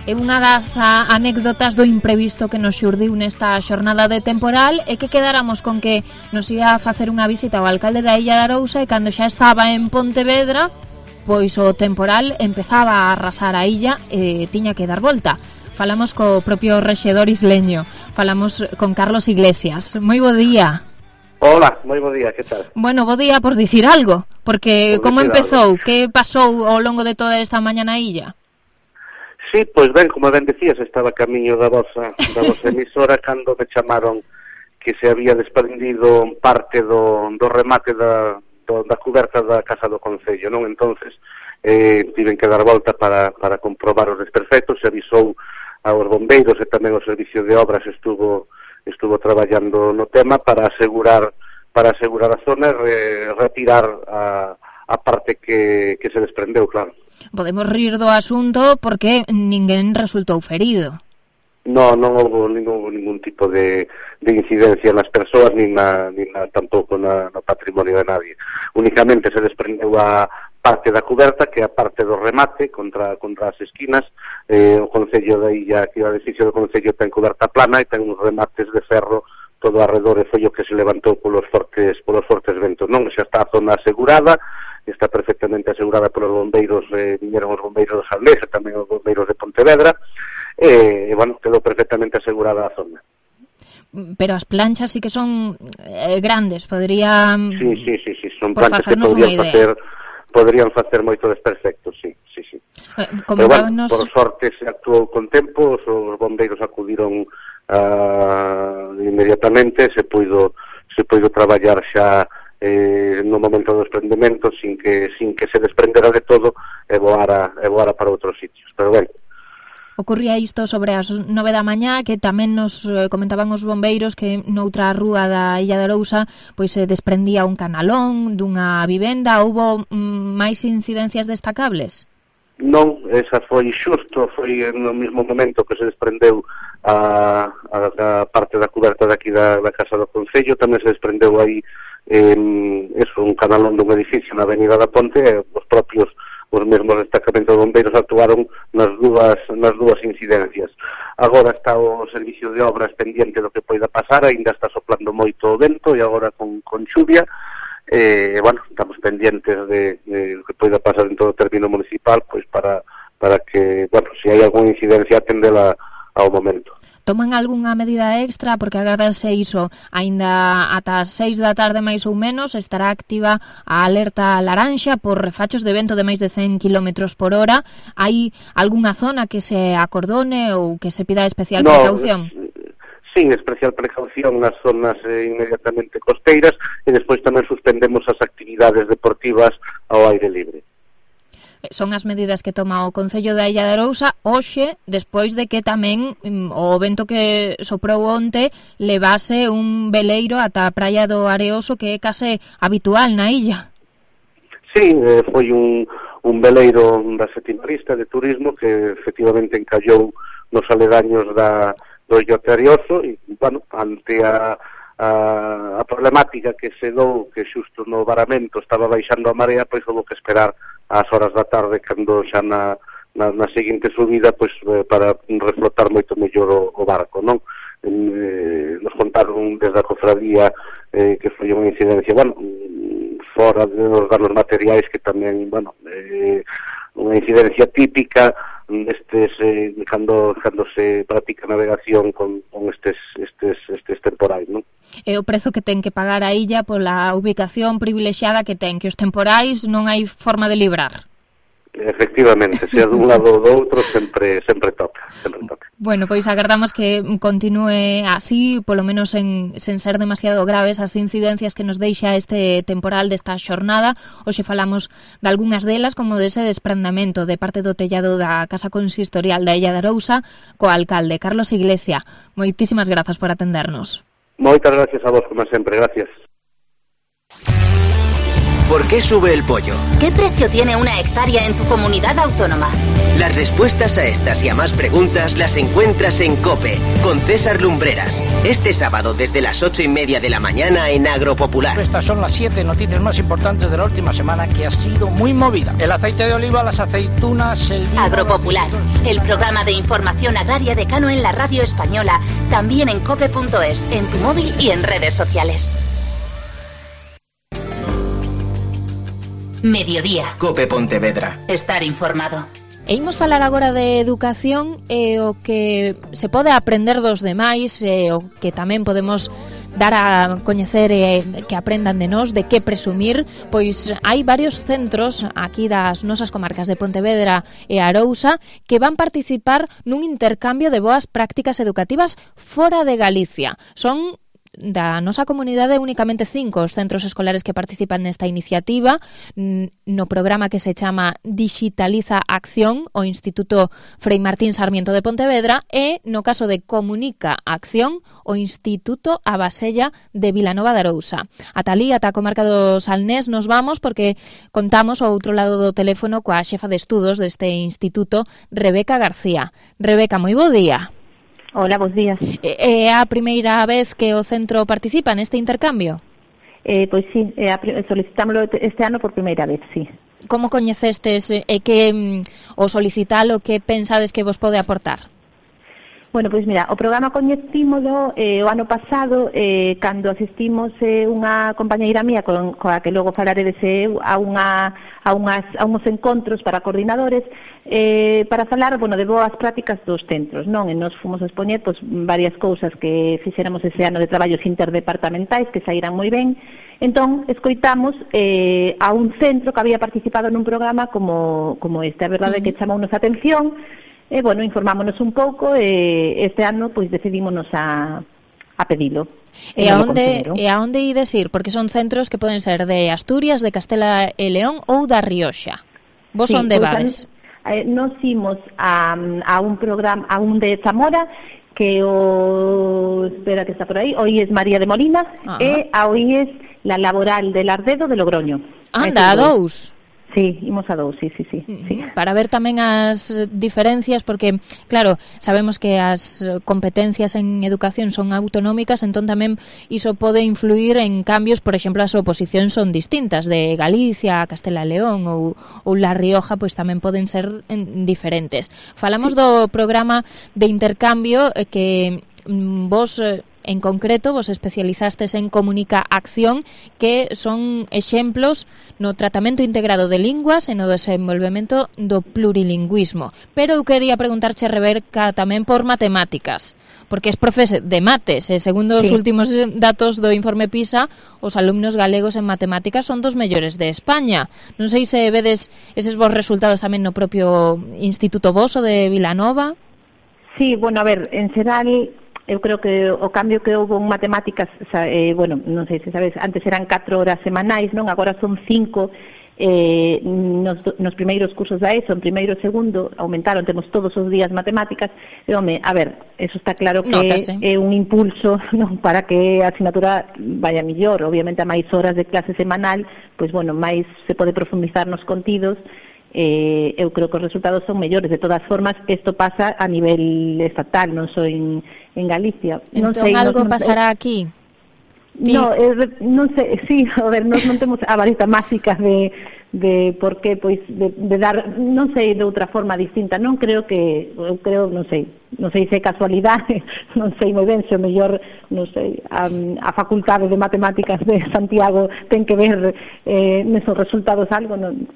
É unha das anécdotas do imprevisto que nos xurdiu nesta xornada de temporal e que quedáramos con que nos ia a facer unha visita ao alcalde da Illa de Arousa e cando xa estaba en Pontevedra, pois o temporal empezaba a arrasar a illa e tiña que dar volta. Falamos co propio rexedor isleño, falamos con Carlos Iglesias. Moi bo día. Hola, moi bo día, que tal? Bueno, bo día por dicir algo, porque como empezou, que pasou ao longo de toda esta mañá na illa? Sí, pois ben, como ben decías, estaba camiño da vosa emisora cando me chamaron que se había desprendido parte do remate da coberta da Casa do Concello, non? Entonces, tiven que dar volta para comprobar os desperfectos, se avisou aos bombeiros e tamén o servicio de obras estuvo traballando no tema para asegurar a zona e retirar a parte que se desprendeu, claro. Podemos rir do asunto porque ninguén resultou ferido. Non houve ningún tipo de incidencia nas persoas ni tampouco no patrimonio de nadie. Únicamente se desprendeu a parte da cuberta, que é a parte do remate contra as esquinas. O Concello da Illa, que o edificio do Concello ten cuberta plana e ten uns remates de ferro todo arredor, e foi o que se levantou polos fortes ventos. Non, xa está a zona asegurada, está perfectamente asegurada polos bombeiros, viñeron os bombeiros de Salnés e tamén os bombeiros de Pontevedra, e, bueno, quedou perfectamente asegurada a zona. Pero as planchas sí que son grandes, podrían... Sí, son planchas que podrían facer moito desperfecto, sí. Pero, bueno, por sorte se actuou con tempo, os bombeiros acudiron inmediatamente, se puido traballar xa no momento do desprendemento sin que se desprendera de todo e voara para outros sitios, pero ben. Ocurría isto sobre as 9 da mañá, que tamén nos comentaban os bombeiros que noutra rúa da Illa de Arousa pois se desprendía un canalón dunha vivenda. Houbo máis incidencias destacables? Non, esa foi no mesmo momento que se desprendeu a parte da cuberta daqui da Casa do Concello. Tamén se desprendeu aí un canalón dun edificio na Avenida da Ponte, e os mesmos destacamentos de bombeiros actuaron nas dúas incidencias. Agora está o servicio de obras pendiente do que poida pasar, aínda está soplando moito o vento e agora con xuvia, bueno, estamos pendientes de que poida pasar en todo o término municipal, pois para que, bueno, se hai algunha incidencia atendela ao momento. Toman algunha medida extra, porque agardase iso, aínda ata as 6 da tarde máis ou menos estará activa a alerta laranxa por refachos de vento de máis de 100 km por hora. Hai algunha zona que se acordone ou que se pida especial precaución? Sí, especial precaución nas zonas inmediatamente costeiras, e despois tamén suspendemos as actividades deportivas ao aire libre. Son as medidas que toma o Concello da Illa de Arousa hoxe, despois de que tamén o vento que soprou onte levase un veleiro ata a Praia do Areoso, que é case habitual na illa. Sí, foi un veleiro da Setimarista de turismo que efectivamente encallou nos aledaños do Illote Areoso, e, bueno, ante a problemática que se dou, que xusto no varamento estaba baixando a marea, pois houve que esperar ás horas da tarde, cando xa na seguinte subida, pois para reflotar moito mellor o barco, non? Nos contaron desde a cofradía que foi unha incidencia, bueno, fora de nos dar os materiais, que tamén, bueno, unha incidencia típica cando se practica navegación con estes temporais, non? É o prezo que ten que pagar a illa pola ubicación privilexiada que ten, que os temporais non hai forma de librar. Efectivamente, sea dun lado ou do outro, sempre toca. Bueno, pois agardamos que continúe así, polo menos sen ser demasiado graves as incidencias que nos deixa este temporal desta xornada. Hoxe falamos de algunhas delas, como dese desprendamento de parte do tellado da Casa Consistorial da Illa de Arousa co alcalde Carlos Iglesia. Moitísimas grazas por atendernos. Moitas gracias a vos, como sempre, gracias. ¿Por qué sube el pollo? ¿Qué precio tiene una hectárea en tu comunidad autónoma? Las respuestas a estas y a más preguntas las encuentras en COPE, con César Lumbreras. Este sábado desde las 8:30 de la mañana en Agropopular. Estas son las 7 noticias más importantes de la última semana, que ha sido muy movida. El aceite de oliva, las aceitunas, el vino... Agropopular, el programa de información agraria de Cano en la radio española, también en cope.es, en tu móvil y en redes sociales. Mediodía. Cope Pontevedra. Estar informado. E imos falar agora de educación e o que se pode aprender dos demais, e o que tamén podemos dar a coñecer e que aprendan de nós, de que presumir. Pois hai varios centros aquí das nosas comarcas de Pontevedra e Arousa que van participar nun intercambio de boas prácticas educativas fora de Galicia. Son da nosa comunidade únicamente 5 os centros escolares que participan nesta iniciativa no programa que se chama Digitaliza Acción o Instituto Frei Martín Sarmiento de Pontevedra e no caso de Comunica Acción o Instituto Abasella de Vilanova de Arousa. Ata ali, ata a comarca do Salnés nos vamos porque contamos ao outro lado do teléfono coa xefa de estudos deste instituto, Rebeca García. Rebeca, moi bo día. Hola, bons días. É a primeira vez que o centro participa neste intercambio? Pois sí, solicitámoslo este ano por primeira vez, sí. Como coñecestes e que o solicitalo, que pensades que vos pode aportar? Bueno, pois mira, o programa coñecímolo o ano pasado cando asistimos unha compañeira mía coa que logo falaredes a uns encontros para coordinadores para falar, bueno, de boas prácticas dos centros, non? E nos fomos a expoñer pois, varias cousas que fixéramos ese ano de traballos interdepartamentais que saíran moi ben. Entón, escoitamos a un centro que había participado nun programa como este. A verdade é que chamounos a atención. Bueno, informámonos un pouco e este ano pois decidímonos a pedilo. E a onde ides ir? Porque son centros que poden ser de Asturias, de Castela e León ou da Rioxa. Vos sí, onde vades? Nos imos a un programa, a un de Zamora, que espera que está por aí, o IES María de Molina, e a IES La Laboral de Lardedo de Logroño. Anda, a dous. Sí, imos a dous, sí. Para ver tamén as diferencias, porque, claro, sabemos que as competencias en educación son autonómicas, entón tamén iso pode influir en cambios, por exemplo, as oposicións son distintas, de Galicia, Castela e León ou La Rioja, pois tamén poden ser diferentes. Falamos do programa de intercambio que vos... En concreto, vos especializastes en Comunica Acción, que son exemplos no tratamento integrado de linguas e no desenvolvemento do plurilingüismo. Pero eu quería preguntarche, Rebeca, tamén por matemáticas, porque es profe de mates, e segundo os últimos datos do informe PISA, os alumnos galegos en matemáticas son dos mellores de España. Non sei se vedes eses vos resultados tamén no propio Instituto Voso de Vilanova. Sí, bueno, a ver, en xeral... Eu creo que o cambio que houve en matemáticas, bueno, non sei se sabes, antes eran 4 horas semanais, non? Agora son 5 nos primeiros cursos da ESO, en primeiro e segundo, aumentaron, temos todos os días matemáticas, e, home, a ver, eso está claro que é un impulso, non, para que a asignatura vaya millor. Obviamente, a máis horas de clase semanal, pois, bueno, máis se pode profundizar nos contidos. Eu creo que os resultados son mellores. De todas formas, isto pasa a nivel estatal, non só en Galicia. Entón, algo pasará aquí? Non sei, sí, a ver, non temos a varita máxica de por que, pois, de dar, non sei, de outra forma distinta. Non creo que, eu creo, non sei se é casualidade, non sei moi ben se o mellor, non sei, a Facultade de Matemáticas de Santiago ten que ver nesos resultados algo, non.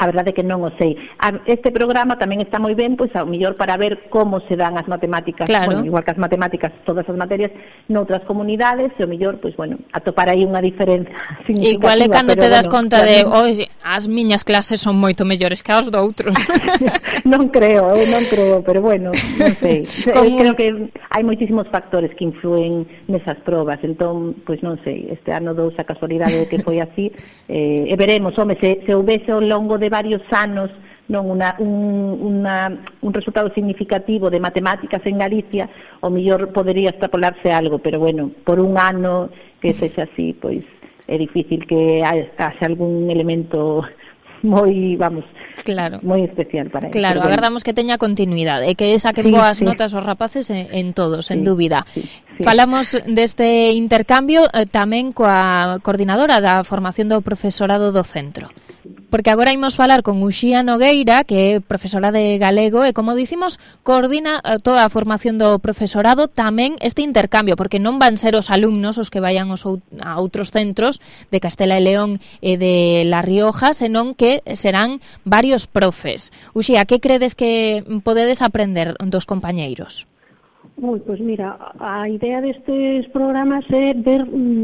A verdade é que non o sei. Este programa tamén está moi ben, pois ao mellor para ver como se dan as matemáticas, bueno, igual que as matemáticas, todas as materias, noutras comunidades, e ao mellor, pois, bueno, atopar aí unha diferenza significativa. Igual é cando te das conta de, as miñas clases son moito mellores que as doutros. Non creo, pero bueno, non sei. Creo que hai moitísimos factores que influen nesas probas, entón, pois non sei, este ano dous a casualidade de que foi así, e veremos, home, se houvese ao longo de varios anos non un resultado significativo de matemáticas en Galicia, o mellor podería extrapolarse algo, pero bueno, por un ano que sexa así, pois é difícil que haxa algún elemento moi, vamos, moi especial para ele. Claro, agardamos que teña continuidade e que saquen boas notas os rapaces en todos, en dúbida. Falamos deste intercambio tamén coa coordinadora da formación do profesorado do centro. Porque agora imos falar con Uxía Nogueira, que é profesora de galego, e como dicimos, coordina toda a formación do profesorado, tamén este intercambio, porque non van ser os alumnos os que vayan a outros centros de Castela e León e de La Rioja, senón que serán varios profes. Uxía, que credes que podedes aprender dos compañeiros? Pois mira, a idea destes programas é ver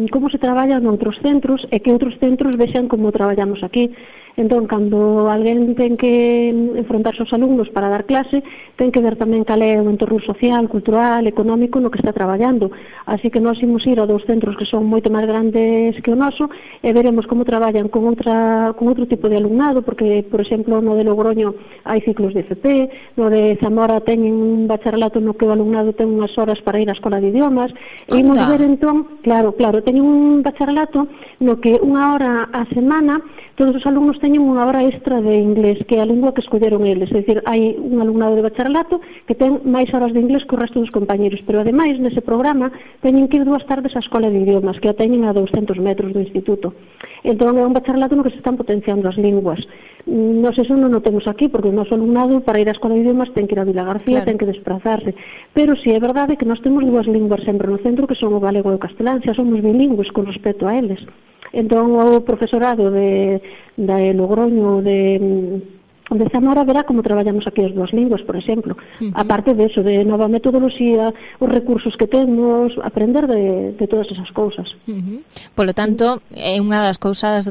como se traballa noutros centros e que outros centros vexan como traballamos aquí. Entón, cando alguén ten que enfrontarse aos alumnos para dar clase, ten que ver tamén cal é o entorno social, cultural, económico no que está traballando. Así que nós imos ir a dous centros que son moito máis grandes que o noso e veremos como traballan con outro tipo de alumnado, porque, por exemplo, no de Logroño hai ciclos de FP, no de Zamora teñen un bacharelato no que o alumnado ten unhas horas para ir á escola de idiomas, e imos ver entón, claro, teñen un bacharelato no que unha hora á semana todos os alumnos teñen unha hora extra de inglés, que é a lingua que escolleron eles, é dicir, hai un alumnado de bacharelato que ten máis horas de inglés que o resto dos compañeros, pero ademais nese programa teñen que ir 2 tardes á escola de idiomas, que a teñen a 200 metros do instituto. Entón é un bacharelato no que se están potenciando as linguas. Nos eso non o temos aquí, porque o noso alumnado para ir á escola de idiomas ten que ir a Vila García, ten que desplazarse, pero si é verdade que nós temos 2 linguas sempre no centro, que son o galego e o castelán, xa somos bilingües con respecto a eles. Entón o profesorado de Logroño de Zamora verá como traballamos aquí as 2 linguas, por exemplo. Aparte de eso, de nova metodoloxía, os recursos que temos, aprender de todas esas cousas. Polo tanto, é unha das cousas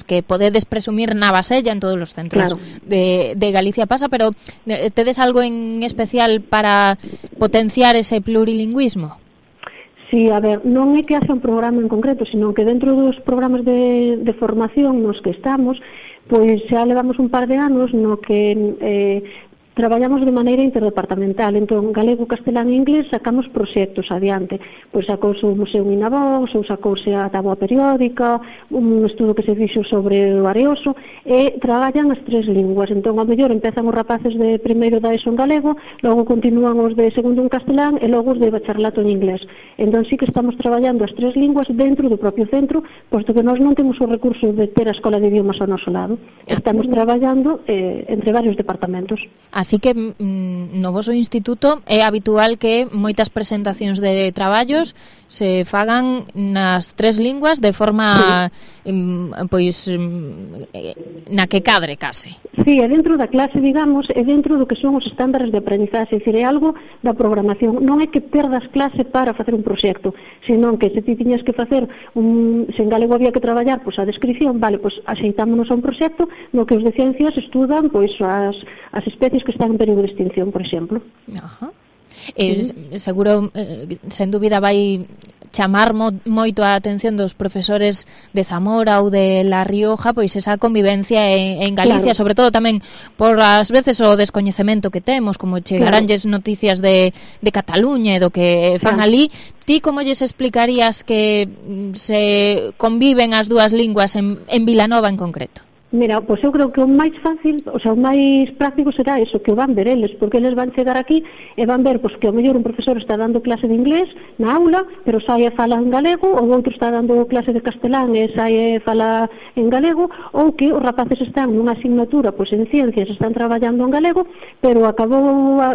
que podedes presumir na Basella en todos os centros de Galicia pasa, pero tedes algo en especial para potenciar ese plurilingüismo? Sí, a ver, non é que haxa un programa en concreto, sino que dentro dos programas de formación nos que estamos, pois xa levamos un par de anos no que traballamos de maneira interdepartamental. Entón, galego, castelán e inglés sacamos proxectos adiante. Pois sacouse o Museo Minavox, ou sacouse a táboa periódica, un estudo que se fixo sobre o Areoso, e traballan as 3 linguas. Entón, ao mellor empezan os rapaces de primeiro da ESO en galego, logo continúan os de segundo en castelán e logo os de bacharelato en inglés. Entón, sí que estamos traballando as 3 linguas dentro do propio centro, posto que nós non temos o recurso de ter a escola de idiomas ao noso lado. Estamos traballando entre varios departamentos. Así que no voso instituto é habitual que moitas presentacións de traballos se fagan nas 3 linguas de forma pois na que cadre case. Sí, é dentro da clase, digamos, é dentro do que son os estándares de aprendizaxe, é dicir, é algo da programación. Non é que perdas clase para facer un proxecto, senón que se ti tiñas que facer se en galego había que traballar pois a descripción, vale, pois axeitámonos a un proxecto no que os de ciencias estudan pois as especies que están en período de extinción, por exemplo. Ajá. Seguro, sen dúbida, vai chamar moito a atención dos profesores de Zamora ou de La Rioja, pois esa convivencia en Galicia, sobre todo tamén por as veces o descoñecemento que temos, como chegaranlles noticias de Cataluña e do que fan ali. Ti como lles explicarías que se conviven as 2 linguas en Vilanova en concreto? Mira, pois eu creo que o máis fácil, o sea, o máis práctico será eso, que o van ver eles, porque eles van chegar aquí e van ver pois, que o mellor un profesor está dando clase de inglés na aula, pero sai e fala en galego, ou outro está dando clase de castelán e sai e fala en galego, ou que os rapaces están nunha asignatura pois en ciencias, están traballando en galego, pero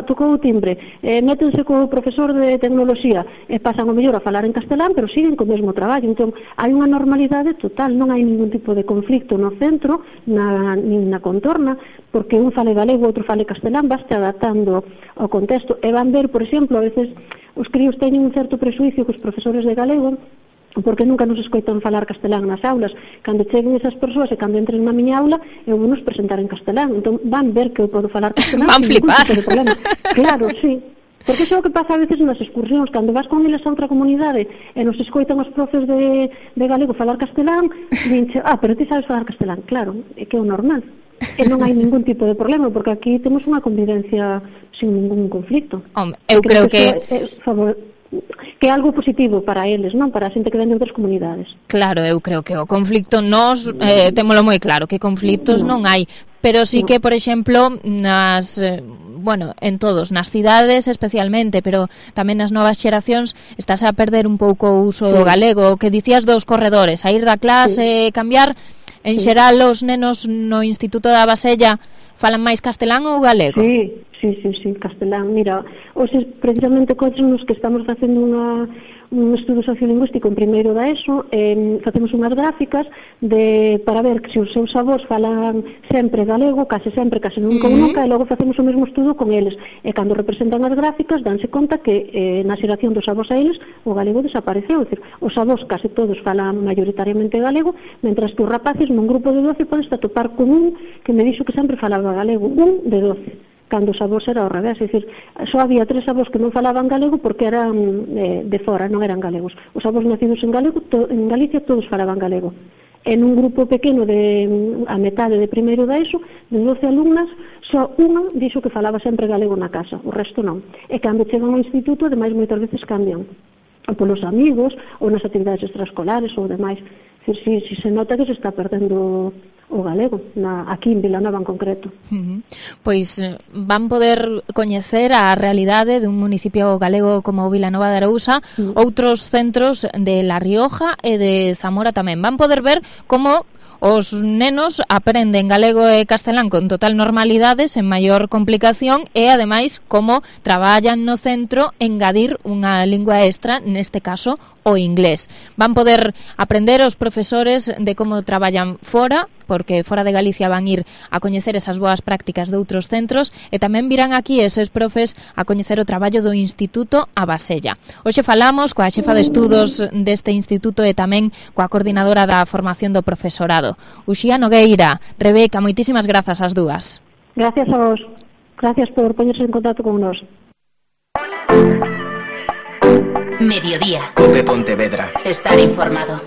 tocou o timbre, métense co profesor de tecnoloxía e pasan o mellor a falar en castelán, pero siguen co mesmo traballo. Entón, hai unha normalidade total, non hai ningún tipo de conflicto no centro, nin na contorna, porque un fale galego, outro fale castelán, vaste adaptando ao contexto. E van ver, por exemplo, a veces os críos teñen un certo presuicio cos profesores de galego, porque nunca nos escoitan falar castelán nas aulas. Cando cheguen esas persoas e cando entren na miña aula, eu vou nos presentar en castelán. Entón van ver que eu podo falar castelán. Van flipar. Claro, sí. Porque iso é o que pasa a veces nas excursións, cando vas con eles a outra comunidade e nos escoitan os profes de galego falar castelán, dinche, pero ti sabes falar castelán. Claro, é que é o normal. E non hai ningún tipo de problema, porque aquí temos unha convivencia sin ningún conflicto. Eu creo que é algo positivo para eles, non para a xente que ven de outras comunidades. Claro, eu creo que o conflicto nós témolo moi claro, que conflictos non hai, pero sí que, por exemplo, nas en todos, nas cidades especialmente, pero tamén nas novas xeracións estás a perder un pouco o uso do galego, que dicías dos corredores, a ir da clase, cambiar, en xeral os nenos no Instituto da Basella falan máis castelán ou galego? Sí, castelán. Mira, hoxe precisamente coches nos que estamos facendo estudo sociolingüístico en primeiro da ESO, facemos unhas gráficas para ver que se os seus avós falan sempre galego, case nunca ou nunca, e logo facemos o mesmo estudo con eles. E cando representan as gráficas, danse conta que na xeración dos avós a eles o galego desapareceu. É dicir, os avós case todos falan maioritariamente galego, mentras que os rapaces nun grupo de 12 podes atopar con un que me dixo que sempre falaba galego, un de 12. Cando os avós era ao revés, é dicir, só había 3 avós que non falaban galego porque eran de fora, non eran galegos. Os avós nacidos en Galicia todos falaban galego. En un grupo pequeno a metade de primeiro da ESO, de 12 alumnas, só unha dixo que falaba sempre galego na casa, o resto non. E cando chegan ao instituto, ademais moitas veces cambian, ou polos amigos, ou nas actividades extraescolares, ou demais. É dicir, si se nota que se está perdendo o galego, aquí en Vilanova en concreto. Pois van poder coñecer a realidade dun municipio galego como Vilanova de Arousa, outros centros de La Rioja e de Zamora tamén. Van poder ver como os nenos aprenden galego e castelán con total normalidade, sen maior complicación, e ademais como traballan no centro engadir unha lingua extra, neste caso o inglés. Van poder aprender os profesores de como traballan fora, porque fora de Galicia van ir a coñecer esas boas prácticas de outros centros, e tamén virán aquí eses profes a coñecer o traballo do Instituto A Basella. Hoxe falamos coa xefa de estudos deste instituto e tamén coa coordinadora da formación do profesorado, Uxía Nogueira. Rebeca, moitísimas grazas ás dúas. Gracias a vos. Gracias por poñerse en contacto con nós. Mediodía. COPE Pontevedra. Estar informado.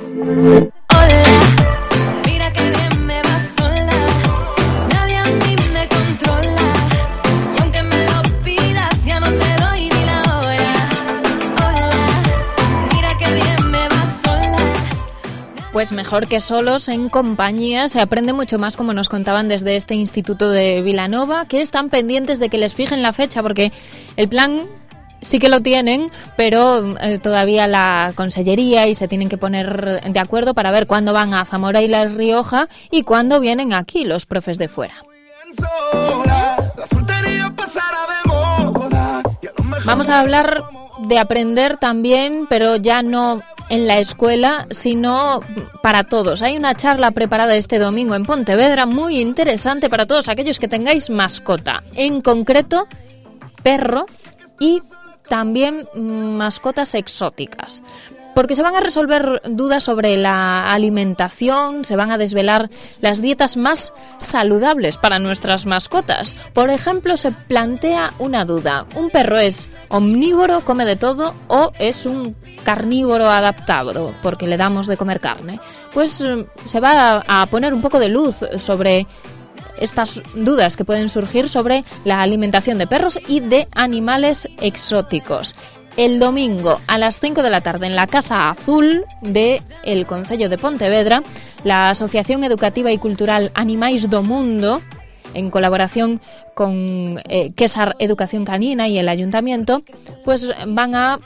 Mira que bien me va sola, nadie a mí me controla, y aunque me lo pidas ya no te doy ni la hora. Hola, mira que bien me va sola. Pues mejor que solos, en compañía, se aprende mucho más, como nos contaban desde este instituto de Vilanova, que están pendientes de que les fijen la fecha, porque el plan sí que lo tienen, pero todavía la Consellería y se tienen que poner de acuerdo para ver cuándo van a Zamora y La Rioja y cuándo vienen aquí los profes de fuera. Vamos a hablar de aprender también, pero ya no en la escuela, sino para todos. Hay una charla preparada este domingo en Pontevedra muy interesante para todos aquellos que tengáis mascota, en concreto perro y también mascotas exóticas, porque se van a resolver dudas sobre la alimentación, se van a desvelar las dietas más saludables para nuestras mascotas. Por ejemplo, se plantea una duda: ¿un perro es omnívoro, come de todo, o es un carnívoro adaptado porque le damos de comer carne? Pues se va a poner un poco de luz sobre estas dudas que pueden surgir sobre la alimentación de perros y de animales exóticos. El domingo a las 5 de la tarde en la Casa Azul del Concello de Pontevedra, la Asociación Educativa y Cultural Animais do Mundo, en colaboración con Quesar Educación Canina y el Ayuntamiento, pues van a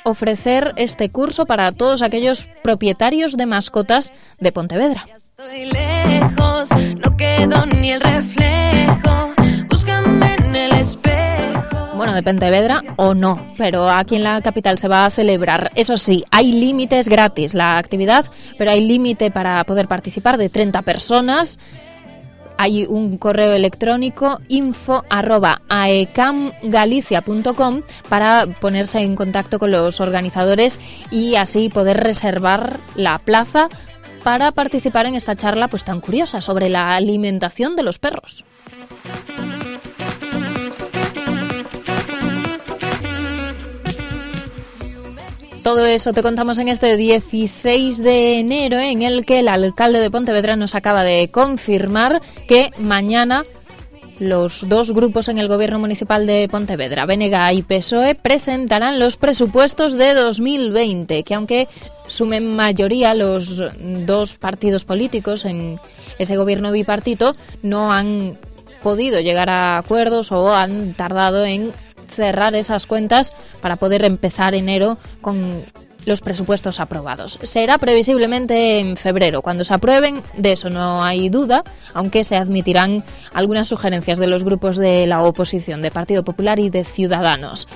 ofrecer este curso para todos aquellos propietarios de mascotas de Pontevedra. Estoy lejos, no quedo ni el reflejo, búscame en el espejo. Bueno, de Pontevedra o no, pero aquí en la capital se va a celebrar. Eso sí, hay límites, gratis la actividad, pero hay límite para poder participar de 30 personas. Hay un correo electrónico info@aecamgalicia.com para ponerse en contacto con los organizadores y así poder reservar la plaza para participar en esta charla pues tan curiosa sobre la alimentación de los perros. Todo eso te contamos en este 16 de enero, en el que el alcalde de Pontevedra nos acaba de confirmar que mañana los dos grupos en el gobierno municipal de Pontevedra, BNG y PSOE, presentarán los presupuestos de 2020, que aunque sumen mayoría los dos partidos políticos en ese gobierno bipartito, no han podido llegar a acuerdos o han tardado en cerrar esas cuentas para poder empezar enero con los presupuestos aprobados. Será previsiblemente en febrero, cuando se aprueben, de eso no hay duda, aunque se admitirán algunas sugerencias de los grupos de la oposición, de Partido Popular y de Ciudadanos.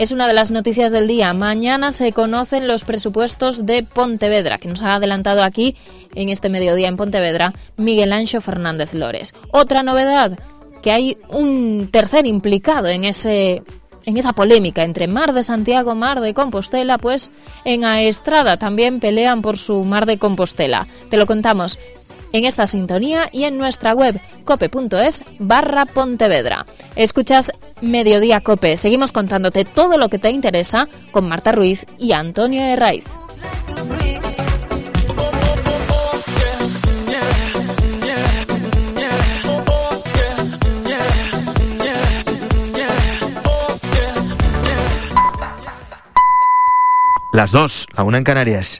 es una de las noticias del día. Mañana se conocen los presupuestos de Pontevedra, que nos ha adelantado aquí en este mediodía en Pontevedra Miguel Anxo Fernández Lores. Otra novedad, que hay un tercer implicado en esa polémica entre Mar de Santiago, Mar de Compostela, pues en Aestrada también pelean por su Mar de Compostela. Te lo contamos en esta sintonía y en nuestra web cope.es/Pontevedra. Escuchas Mediodía Cope. Seguimos contándote todo lo que te interesa con Marta Ruiz y Antonio Herraiz. Las 2, la 1 en Canarias.